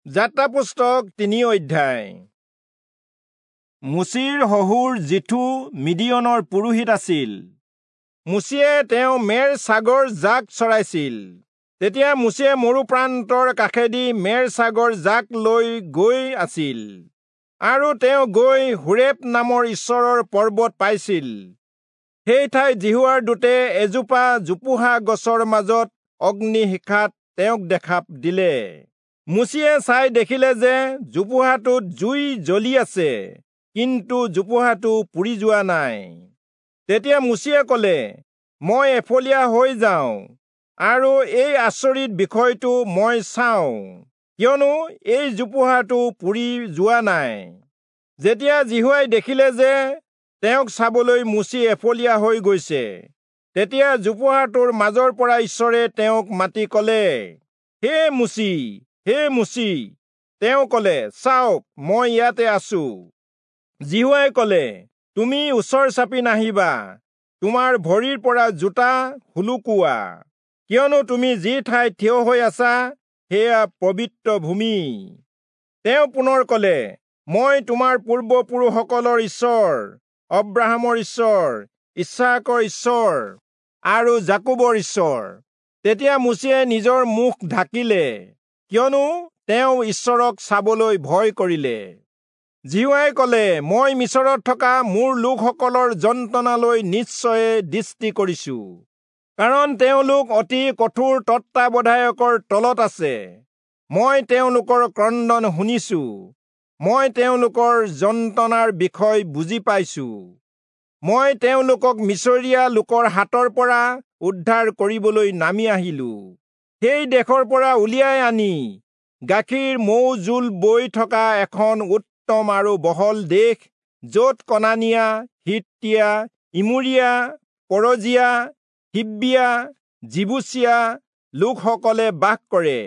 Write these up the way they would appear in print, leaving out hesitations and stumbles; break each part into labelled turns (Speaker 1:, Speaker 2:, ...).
Speaker 1: যাত্ৰা পুস্তক 3 অধ্যায়। মোচিৰ শহুৰ যিথো মিদিয়নৰ পুৰোহিত আছিল। মোচিয়ে তেওঁ মেৰ ছাগৰ জাক চৰাইছিল। তেতিয়া মোচিয়ে মৰু প্ৰান্তৰ কাষেদি মেৰ ছাগৰ জাক লৈ গৈ আছিল আৰু তেওঁ গৈ হোৰেব নামৰ ঈশ্বৰৰ পৰ্বত পাইছিল। সেই ঠাইত যিহোৱাৰ দূতে এজোপা জোপোহা গছৰ মাজত অগ্নিশিখাত তেওঁক দেখা দিলে। মোচিয়ে চাই দেখিলে যে জোপোহাটোত জুই জ্বলি আছে, কিন্তু জোপোহাটো পুৰি যোৱা নাই। তেতিয়া মোচিয়ে কলে, মই এফলীয়া হৈ যাওঁ আৰু এই আচৰিত বিষয়টো মই চাওঁ, কিয়নো এই জোপোহাটো পুৰি যোৱা নাই। যেতিয়া যিহোৱাই দেখিলে যে তেওঁক চাবলৈ মোচি এফলীয়া হৈ গৈছে, তেতিয়া জোপোহাটোৰ মাজৰ পৰা ঈশ্বৰে তেওঁক মাতি কলে, হে মোচি, হে মোচি। তেওঁ কলে, চাওক, মই ইয়াতে আছো। যিহোৱাই কলে, তুমি ওচৰ চাপি নাহিবা, তোমাৰ ভৰিৰ পৰা জোতা সুলুকোৱা, কিয়নো তুমি যি ঠাইত থিয় হৈ আছা সেয়া পবিত্ৰ ভূমি। তেওঁ পুনৰ কলে, মই তোমাৰ পূৰ্বপুৰুষসকলৰ ঈশ্বৰ, অব্ৰাহামৰ ঈশ্বৰ, ইচ্হাকৰ ঈশ্বৰ আৰু যাকোবৰ ঈশ্বৰ। তেতিয়া মোচিয়ে নিজৰ মুখ ঢাকিলে, কিয়নো তেওঁ ঈশ্বৰক চাবলৈ ভয় কৰিলে। যিহোৱাই কলে, মই মিচৰত থকা মোৰ লোকসকলৰ যন্ত্ৰণালৈ নিশ্চয়ে দৃষ্টি কৰিছো, কাৰণ তেওঁলোক অতি কঠোৰ তত্বাৱধায়কৰ তলত আছে। মই তেওঁলোকৰ ক্ৰন্দন শুনিছো, মই তেওঁলোকৰ যন্ত্ৰণাৰ বিষয় বুজি পাইছো। মই তেওঁলোকক মিচৰীয়া লোকৰ হাতৰ পৰা উদ্ধাৰ কৰিবলৈ নামি আহিলো। সেই দেশৰ পৰা উলিয়াই আনি গাখীৰ মৌ জোল বৈ থকা এখন উত্তম আৰু বহল দেশ, য'ত কনানীয়া, হিত্তীয়া, ইমূৰীয়া, পৰজীয়া, হিব্বীয়া, যিবূচীয়া লোকসকলে বাস কৰে,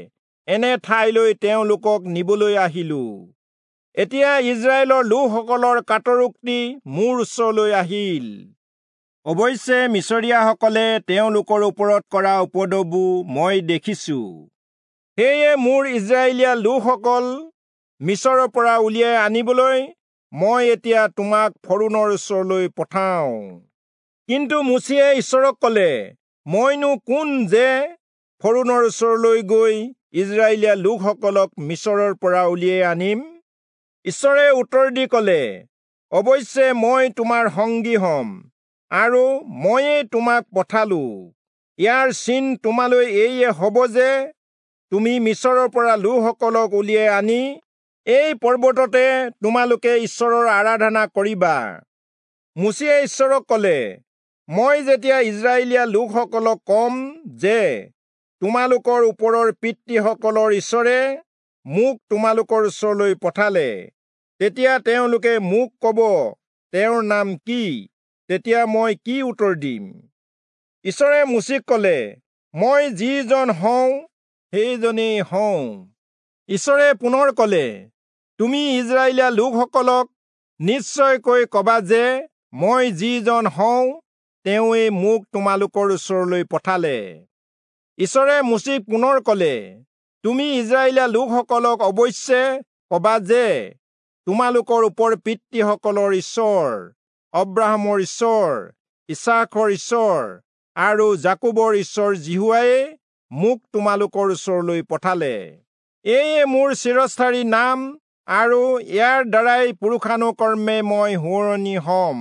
Speaker 1: এনে ঠাইলৈ তেওঁলোকক নিবলৈ আহিলো। এতিয়া ইস্ৰায়েলৰ লোকসকলৰ কাতৰোক্তি মোৰ ওচৰলৈ আহিল। অৱশ্যে মিচৰীয়াসকলে তেওঁলোকৰ ওপৰত কৰা উপদ্ৰৱো মই দেখিছো। সেয়ে মোৰ ইস্ৰায়েলীয়া লোকসকল মিচৰৰ পৰা উলিয়াই আনিবলৈ মই এতিয়া তোমাক ফৰৌণৰ ওচৰলৈ পঠাওঁ। কিন্তু মোচিয়ে ঈশ্বৰক কলে, মইনো কোন যে ফৰৌণৰ ওচৰলৈ গৈ ইস্ৰায়েলীয়া লোকসকলক মিচৰৰ পৰা উলিয়াই আনিম? ঈশ্বৰে উত্তৰ দি কলে, অৱশ্যে মই তোমাৰ সংগী হম আৰু ময়েই তোমাক পঠালো। ইয়াৰ চিন তোমালৈ এইয়ে হব যে তুমি মিচৰৰ পৰা লোকসকলক উলিয়াই আনি এই পৰ্বততে তোমালোকে ঈশ্বৰৰ আৰাধনা কৰিবা। মোচিয়ে ঈশ্বৰক কলে, মই যেতিয়া ইস্ৰায়েলীয়া লোকসকলক কম যে তোমালোকৰ ওপৰৰ পিতৃসকলৰ ঈশ্বৰে মোক তোমালোকৰ ওচৰলৈ পঠালে, তেতিয়া তেওঁলোকে মোক কব, তেওঁৰ নাম কি? তেতিয়া মই কি উত্তৰ দিম? ঈশ্বৰে মোচিক কলে, মই যিজন হওঁ সেইজনেই হওঁ। ঈশ্বৰে পুনৰ কলে, তুমি ইস্ৰায়েলীয়া লোকসকলক নিশ্চয়কৈ কবা যে মই যিজন হওঁ তেওঁৱেই মোক তোমালোকৰ ওচৰলৈ পঠালে। ঈশ্বৰে মোচিক পুনৰ কলে, তুমি ইস্ৰায়েলীয়া লোকসকলক অৱশ্যে কবা যে তোমালোকৰ ওপৰ পিতৃসকলৰ ঈশ্বৰ, অব্ৰাহামৰ ঈশ্বৰ, ইচ্হাকৰ ঈশ্বৰ আৰু যাকোবৰ ঈশ্বৰ যিহোৱাই মোক তোমালোকৰ ওচৰলৈ পঠালে। এয়ে মোৰ চিৰস্থায়ী নাম আৰু ইয়াৰ দ্বাৰাই পুৰুষানুকৰ্মে মই সোঁৱৰণি হম।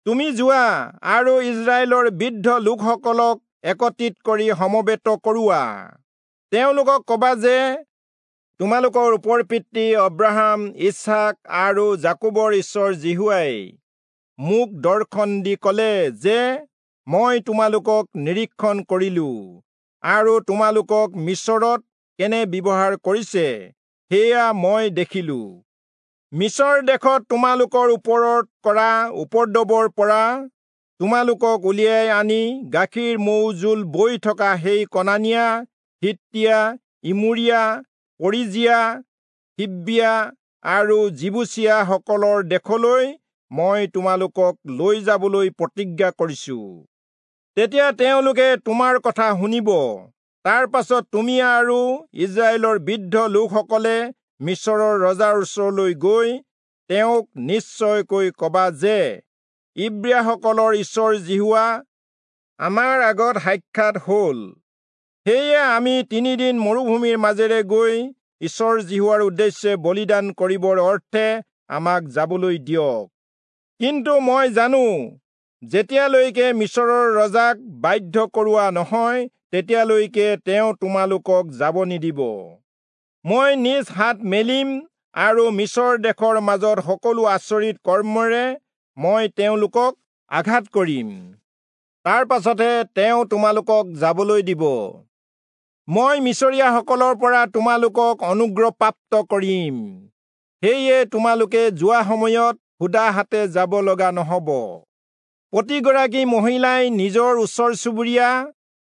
Speaker 1: তুমি যোৱা আৰু ইস্ৰায়েলৰ বৃদ্ধ লোকসকলক একত্ৰিত কৰি সমবেত কৰোৱা। তেওঁলোকক কবা যে তোমালোকৰ ওপৰ পিতৃ অব্ৰাহাম, ইচ্হাক আৰু যাকোবৰ ঈশ্বৰ যিহোৱাই মোক দৰ্শন দি কলে যে মই তোমালোকক নিৰীক্ষণ কৰিলো আৰু তোমালোকক মিচৰত কেনে ব্যৱহাৰ কৰিছে সেয়া মই দেখিলো। মিচৰ দেশত তোমালোকৰ ওপৰত কৰা উপদ্ৰৱৰ পৰা তোমালোকক উলিয়াই আনি গাখীৰ মৌ জোল বৈ থকা সেই কনানীয়া, হিত্তীয়া, ইমূৰীয়া, পৰিজীয়া, হিব্বীয়া আৰু যিবূচীয়াসকলৰ দেশলৈ মই তোমালোকক লৈ যাবলৈ প্ৰতিজ্ঞা কৰিছো। তেতিয়া তেওঁলোকে তোমাৰ কথা শুনিব। তাৰ পাছত তুমি আৰু ইস্ৰায়েলৰ বৃদ্ধ লোকসকলে মিচৰৰ ৰজাৰ ওচৰলৈ গৈ তেওঁক নিশ্চয়কৈ কবা যে, ইব্ৰীয়াসকলৰ ঈশ্বৰ যিহোৱা আমাৰ আগত সাক্ষাৎ হল। সেয়ে আমি 3 দিন মৰুভূমিৰ মাজেৰে গৈ ঈশ্বৰ যিহোৱাৰ উদ্দেশ্যে বলিদান কৰিবৰ অৰ্থে আমাক যাবলৈ দিয়ক। কিন্তু মই জানো, যেতিয়ালৈকে মিচৰৰ ৰজাক বাধ্য কৰোৱা নহয়, তেতিয়ালৈকে তেওঁ তোমালোকক যাব নিদিব। মই নিজ হাত মেলিম আৰু মিচৰ দেশৰ মাজত সকলো আচৰিত কৰ্মেৰে মই তেওঁলোকক আঘাত কৰিম। তাৰ পাছতহে তেওঁ তোমালোকক যাবলৈ দিব। মই মিচৰীয়াসকলৰ পৰা তোমালোকক অনুগ্ৰহপ্ৰাপ্ত কৰিম। সেয়ে তোমালোকে যোৱা সময়ত সুদা হাতে যাব লগা নহব। প্ৰতিগৰাকী মহিলাই নিজৰ ওচৰ চুবুৰীয়া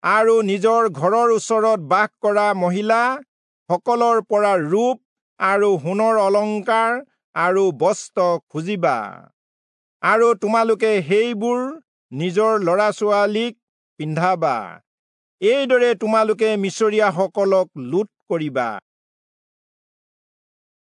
Speaker 1: আৰু নিজৰ ঘৰৰ ওচৰত বাস কৰা মহিলা সকলৰ পৰা ৰূপ আৰু সোণৰ অলংকাৰ আৰু বস্ত্ৰ খুজিবা, আৰু তোমালোকে সেইবোৰ নিজৰ ল'ৰা ছোৱালীক পিন্ধাবা। এইদৰে তোমালোকে মিচৰীয়াসকলক লুট কৰিবা।